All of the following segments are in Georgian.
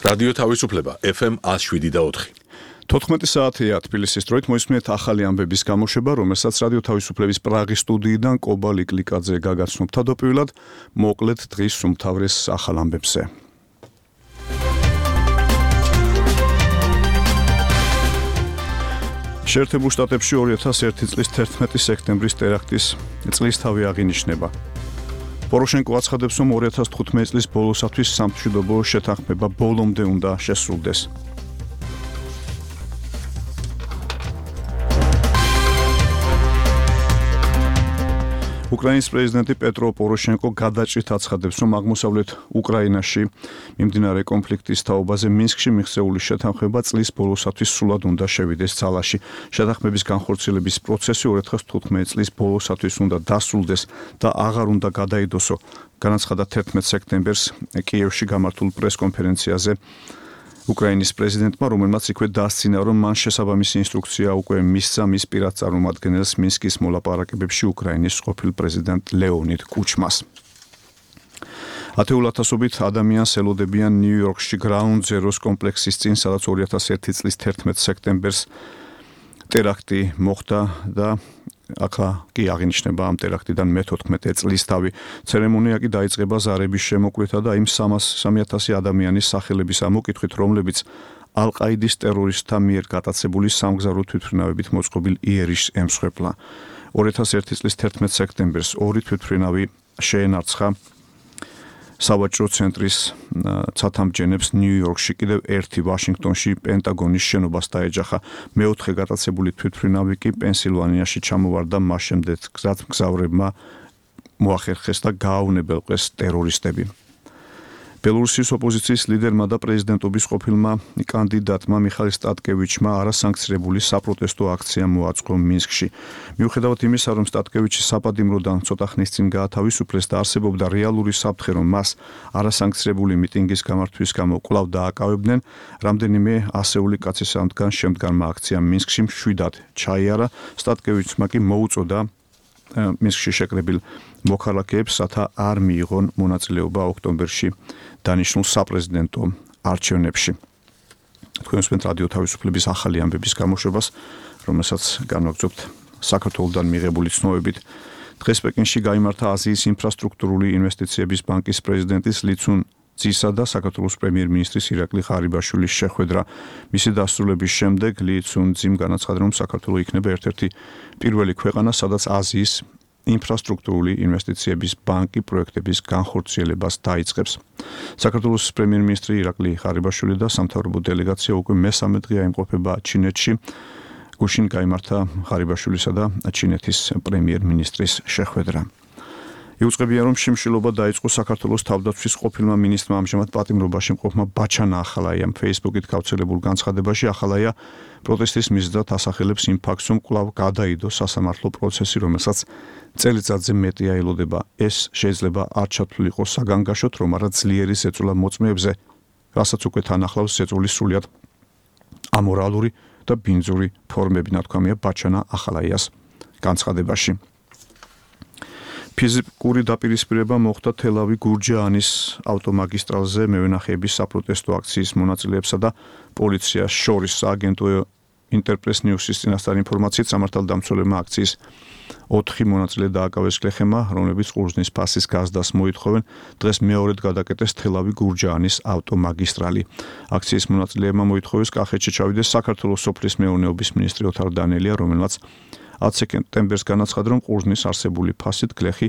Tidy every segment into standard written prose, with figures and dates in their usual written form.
რადიო თავისუფლება FM 107.4. 14 საათია თბილისის დროით მოისმენთ ახალი ამბების გამოშვება, რომელსაც რადიო თავისუფლების პრაღის სტუდიიდან კობა ლიკლიკაძე გაგაცნობ თავდაპირველად, მოკლედ დღის უმთავრეს ახალ ამბებზე. შეერთებულ შტატებში 2001 წლის 11 სექტემბრის ტერაქტის წლისთავი აღინიშნება. პოროშენკო აცხადებს, რომ 2015 წლის ბოლოსათვის სამშვიდობო შეთანხმება ბოლომდე უნდა შესრულდეს. უკრაინის პრეზიდენტი პეტრო პოროშენკო გადაჭრით აცხადებს, რომ აღმოსავლეთ უკრაინაში მიმდინარე კონფლიქტის თაობაზე მინსკში მიღწეული შეთანხმება წლის ბოლოსათვის სრულად უნდა შევიდეს ძალაში. შეთანხმების განხორციელების პროცესი 2015 წლის ბოლოსათვის უნდა დასრულდეს და აღარ უნდა გადაიდოსო, განაცხადა 11 სექტემბერს კიევში გამართულ პრესკონფერენციაზე უკრაინის პრეზიდენტმა, რომელმაც იქვე დასცინა, რომ მან შესაბამისი ინსტრუქცია უკვე მისცა მის პირად წარმომადგენელს მინსკის მოლაპარაკებებში უკრაინის ყოფილ პრეზიდენტ ლეონიდ კუჩმას. ათეულათასობით ადამიანს ელოდებიან ნიუ-იორკში Ground Zero's კომპლექსის წინ, სადაც 2001 წლის 11 სექტემბერს ტერაქტი მოხდა და ახლა კი აღინიშნება ამ ტერაქტიდან მე-14 წლისთავი. ცერემონია კი დაიწყება ზარების შემოკვლითა და იმ 3000 ადამიანის სახელების ამოკითხვით, რომლებიც ალ-ყაიდის ტერორისტთა მიერ გატაცებული სამგზავრო თვითმფრინავებით მოწყობილ იერიშს ემსხვერპლა. 2001 წლის 11 სექტემბერს ორი თვითმფრინავი შეენარცხა სავაჭრო ცენტრის ცათამბჯენებს ნიუ-იორკში, კიდევ ერთი ვაშინგტონში პენტაგონის შენობას დაეჯახა. მეოთხე გატაცებული თვითმფრინავი კი პენსილვანიაში ჩამოვარდა მას შემდეგ მგზავრებმა მოახერხეს და გააუნებელყეს ტერორისტები. ბელორუსის ოპოზიციის ლიდერმა და პრეზიდენტობის ყოფილმა კანდიდატმა მიხაილ სტატკევიჩმა არასანქცირებული საპროტესტო აქცია მოაწყო მინსკში. მიუხედავად იმისა, რომ სტატკევიჩი საპატიმროდან ცოტა ხნის წინ გაათავისუფლეს და არსებობდა რეალური საფრთხე, რომ მას არასანქცირებული მიტინგის გამართვის გამო კვლავ დააკავებდნენ, რამდენიმე ასეული კაცის ამდგან შემდგარმა აქციამ მინსკში მშვიდად ჩაიარა. სტატკევიჩმა კი მოუწოდა მინსკში შეკრებილ მოქალაქეებს, რათა არ მიიღონ მონაწილეობა ოქტომბერში დანიშნულ საპრეზიდენტო არჩევნებში. თქვენ უსმენთ რადიო თავისუფლების ახალი ამბების გამოშვებას, რომელსაც განვაგრძობთ საქართველოსთან მიღებული ცნობებით. დღეს პეკინში გაიმართა აზიის ინფრასტრუქტურული ინვესტიციების ბანკის პრეზიდენტის ლიცუნ ძისა და საქართველოს პრემიერ-მინისტრის ირაკლი ღარიბაშვილის შეხვედრა. მისი დასრულების შემდეგ ლიცუნ ძიმ განაცხადა, რომ საქართველო იქნება ერთ-ერთი პირველი ქვეყანა, სადაც აზიის ინფრასტრუქტურული ინვესტიციების ბანკი პროექტების განხორციელებას დაიწყებს. საქართველოს პრემიერ-მინისტრი ირაკლი ღარიბაშვილი და სამთავრობო დელეგაცია უკვე მესამე დღეა იმყოფება ჩინეთში. გუშინ გაიმართა ღარიბაშვილისა და ჩინეთის პრემიერ-მინისტრის შეხვედრა. იუწყებია, რომ შიმშილობა დაიწყო საქართველოს თავდაცვის ყოფილმა მინისტრმა, ამჟამად პატიმრობაში მყოფმა ბაჩანა ახალაიამ Facebook-ით გავრცელებულ განცხადებაში. ახალაია პროტესტის მიზეზად ასახელებს იმ ფაქტს, რომ კვლავ გადაიდო სასამართლო პროცესი, რომელსაც წელიწადზე მეტია ელოდება. ეს შეიძლება არ ჩათვლილიყო საგანგაშოდ, რომ არა ძლიერი ზეწოლა მოწმეებზე, რასაც უკვე თან ახლავს ზეწოლის სრულიად ამორალური და ბინძური ფორმები, ნათქვამია ბაჩანა ახალაიას განცხადებაში. ფიზიკური დაპირისპირება მოხდა თელავი-გურჯაანის ავტომაგისტრალზე მევენახეების საპროტესტო აქციის მონაწილეებსა და პოლიციას შორის. აგენტო ინტერპრეს ნიუსის წინასწარ ინფორმაციით, სამართალდამცველებმა აქციის 4 მონაწილე დააკავეს გლეხემა, რომლებიც ყურძნის ფასის გაზდას მოითხოვენ. დღეს მეორედ გადაკეტეს თელავი-გურჯაანის ავტომაგისტრალი. აქციის მონაწილეებმა მოითხოვეს კახეთში ჩავიდეს საქართველოს სოფლის მეურნეობის მინისტრი ოთარ დანელია, რომელმაც 10 სექტემბერს განაცხადა, რომ ყურძნის არსებული ფასით გლეხი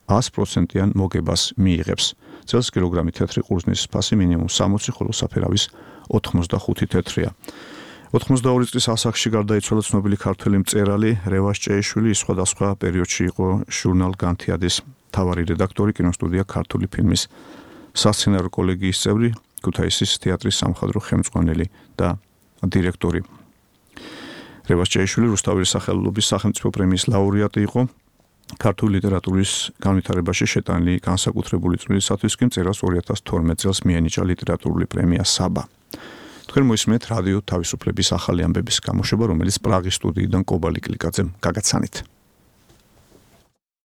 100%-იან მოგებას მიიღებს. წელს კილოგრამი თეთრი ყურძნის ფასი მინიმუმ 60, ხოლო საფერავის 85 თეთრია. 82 წლის ასაკში გარდაიცვალა ცნობილი ქართველი მწერალი რევაზ ჭეიშვილი. ის სხვადასხვა პერიოდში იყო ჟურნალ განთიადის მთავარი რედაქტორი, კინოსტუდია ქართული ფილმის სასცენარო კოლეგიის წევრი, ქუთაისის თეატრის სამხატვრო ხელმძღვანელი და დირექტორი. რევაზ ჭეიშვილი რუსთაველის სახელობის სახელმწიფო პრემიის ლაურეატი იყო. ქართული ლიტერატურის განვითარებაში შეტანილი განსაკუთრებული წვლილისათვის კი მწერალს 2012 წელს მიენიჭა ლიტერატურული პრემია საბა. თქვენ მოისმენთ რადიო თავისუფლების ახალი ამბების გამოშვება, რომელიც პრაღის სტუდიიდან კობა ლიკლიკაძემ გაგაცანით.